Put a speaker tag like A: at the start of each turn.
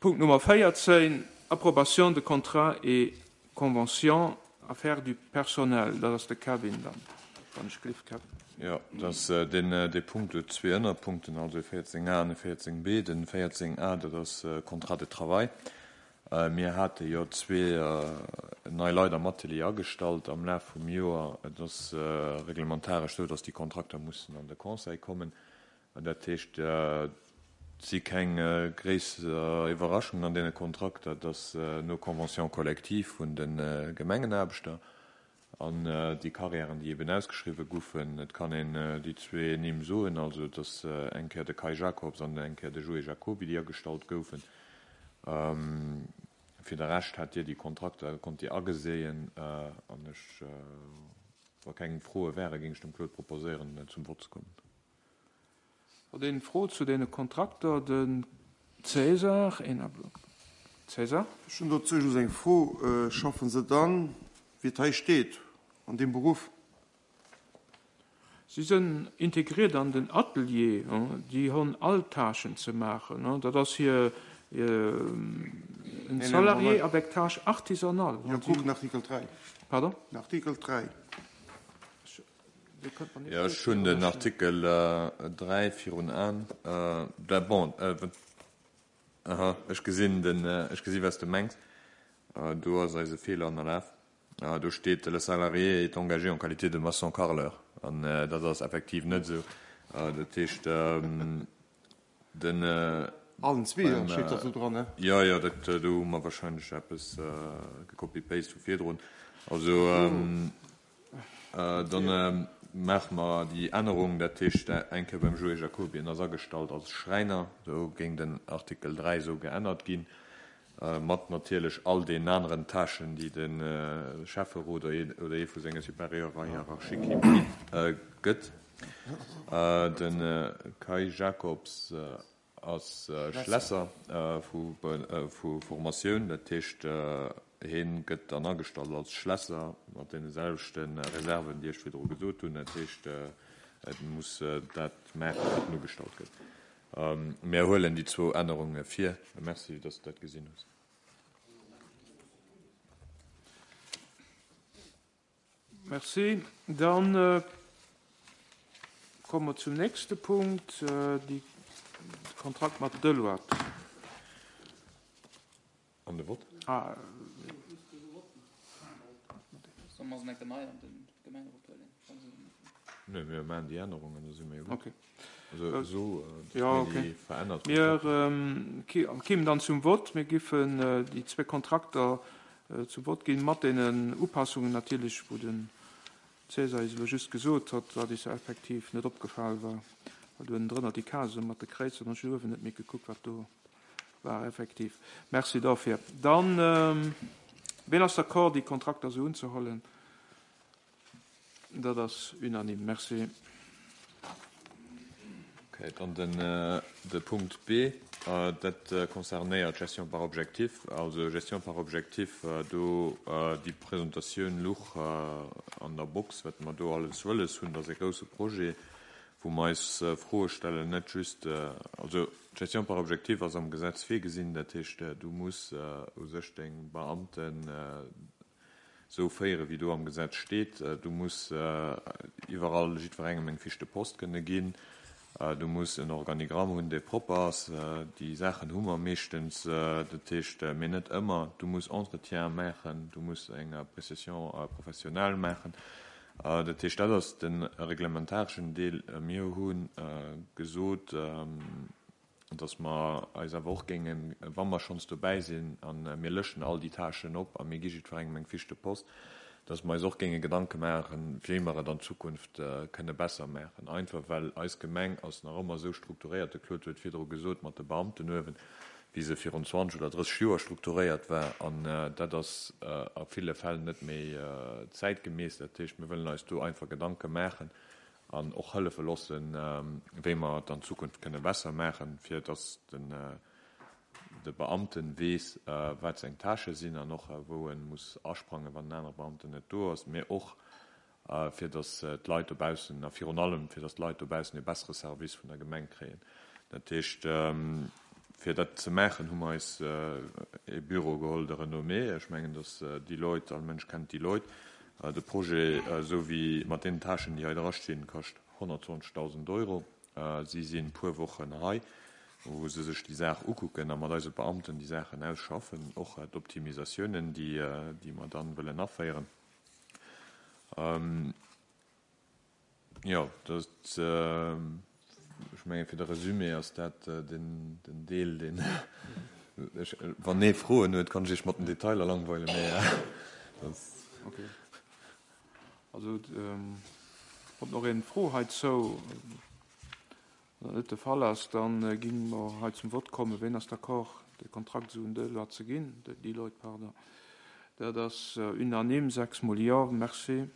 A: Punkt Nummer 14, Approbation de contrats et conventions, affaires du personnel. Dat ass de Kevin dann, wann ech gelift, Kevin.
B: Jo, dat ass deen, dee Punkt huet zwee Ënnerpunkten, also e 14a an e 14b. Den 14a, dat ass Contrat de travail. Mir hate jo zwee nei Leit am Atelier agestallt am Laf vum Joer. Et ass reglementaresch esou, dass déi Kontrakter mussen an de Conseil kommen. Dat heescht, et si keng gréisser Iwwerraschungen an deene Kontrakter. Et ass no Convention collective vun de Gemengenaarbechter an déi Carrièren, déi eben ausgeschriwwe goufen. Et kann een déi zwee Nimm soen, also et ass eng Kéier de Kai Jacobs an eng Kéier de Joé Jacoby, déi agestallt goufen. Fir de Rescht hat Dir déi Kontrakter, konnt Dir ageséien an ech, wa keng Froe wären, géing ech dem Claude proposéieren, zum Vott ze kommen.
A: Huet een Fro zu deene Kontrakter? De César, een Ablock. César?
C: Ech hunn dozou just eng Fro, Schaffen se dann, wéi et hei steet, an deem Beruff?
A: Si sënn integriert an den Atelier, déi honn all Tâchen ze maachen. Dat ass hir en salarié avec tâches artisanales.
C: Jo, kuck den Artikel 3.
A: Pardon?
C: Den Artikel 3.
B: Jo, ech hunn den Artikel 3 virun Aen. Bon, aha, ech gesinn den, ech gesi wat s de mengs. Do ass eis e Feeler ënnerlaf. Do steet, Le salarié est engagé en qualité de maçon carreleur. An dat ass effektiv net esou. Dat heescht, Den.
C: Allen zweeër steet dat do dran, ne?
B: Jo, jo, dat do hu mer wahrscheinlech eppes gecopy-paste vu virdrun. Also, dann maache mer déi Ännerung, dat heescht eng Kéier beim Joé Jacoby, en ass agestallt als Schräiner, do géing den Artikel 3 esou geännert ginn. Mat natierlech all deenen aneren Tâchen, déi de Schäfferot oder ee vu senge Supérieure hiérarchiques him gëtt. De Kai Jacobs ass Schlässer vu Formatioun, dat heescht, hie gëtt dann agestallt als Schlässer mat deene selwechte Reserven, déi ech virdru gesot hunn. Dat heescht, e muss dat maachen, wat en ugestallt gëtt. Mär huelen déi zwou Ännerunge vir. Merci, dass de dat gesinn hues.
A: Merci. Dann komme mer zum nächste Punkt, de Kontrakt mat Deloitte.
B: An de Vott?
D: Solle mer se enke nei an de Gemengerot huelen?
B: Nee, mir maachen déi Ännerungen, da si mir jo gutt.
A: Okay.
B: Also esou, datt
A: Ja,
B: mir
A: okay.
B: déi verännert
A: Mir
B: Kontrakter.
A: kéimen dann zum Vott. Mir giffen déi zwee Kontrakter zum Vott ginn, mat deenen Upassungen natierlech, wou den César eis elo just gesot hott, wat eis effektiv net opgefal war, well do ënnendrënner déi Case mat de Kréizer, hunn ech uewen net méi gekuckt, wat do War effektiv. Merci dofir. Dann, ween ass d'accord, déi Kontrakter esou unzehollen? Dat ass unanime. Merci.
B: Okay, dann den, de Punkt B, dat concernéiert d'Gestion par objectif. Also Gestion par objectif, do déi Presentatioun luch an der Box, wat mer do alles wëlles hunn. Dat ass e grouse Projet, wou mer eis Froe stellen, net just, also d'Gestion par objectif ass am Gesetz virgesinn, dat heescht, du muss u sech deng Beamten esou féieren, wéi do am Gesetz steet. Du muss iwwerall jiddwerengem eng Fiche de poste kënne ginn. Du muss en Organigramm hunn, dee propper ass. Déi Saachen hu mer meeschtens, dat heescht, mee net ëmmer. Du muss Entretien maachen, du muss eng Appréciation professionnelle maachen. Dat heescht, dat ass de reglementareschen Deel. Mir hu gesot, datt mer eis awer och géingen, wa mer schonns dobäi sinn a mir lëschten all déi Tâchen op a mir gi jiddwerengem eng Fiche de poste, datt mer eis och géinge Gedanke maachen, wéi mer et an Zukunft kënne besser maachen. Einfach well eis Gemeng ass nach ëmmer esou strukturéiert, de Claude huet virdru gesot, mat de Beamten uewen, wéi se virun 20 oder 30 Joer strukturéiert war, an dat ass a ville Fäll net méi zäitgemäss. Dat heescht, mir wëllen eis do einfach Gedanke maachen an och hëllefe loossen, wéi mer et an Zukunft kënne besser maachen, fir dass de Beamte weess, wat seng Tâchë sinn an och wou e muss asprangen, wann en anere Beamten net do ass, mee och fir datt d'Leit dobaussen, a virun allem fir datt d'Leit dobaussen e bessere Service vun der Gemeng kréien. Dat heescht, Fir dat ze maachen, hu mer eis e Büro geholl de renommée. Ech mengen, dass Deloitte, all Mënsch kennt Deloitte. De Projet, esou wéi mat deenen Tâchen, déi hei drastinn, kascht 120.000 Euro. Si si puer Wochen hei, wou se sech déi Saach ukucken a mat eise Beamten déi Saachen ausschaffen, och d'Optimisatiounen, déi mer dann wëllen aféieren. Jo, dat, ech menge fir de Resumé ass dat den Deel, deen ech, wann ee Froen huet, kann ech Iech mat den Detailer langweilen, mä dat.
A: Ok. Also huet nach een Fro heizou? Wann dat net de Fall ass, da gi mer hei zum Vott kommen. Ween ass d'accord, de Kontrakt esou un Deloitte ze ginn, Deloitte, pardon? Dat ass unanime, sechsmol Jo. Merci.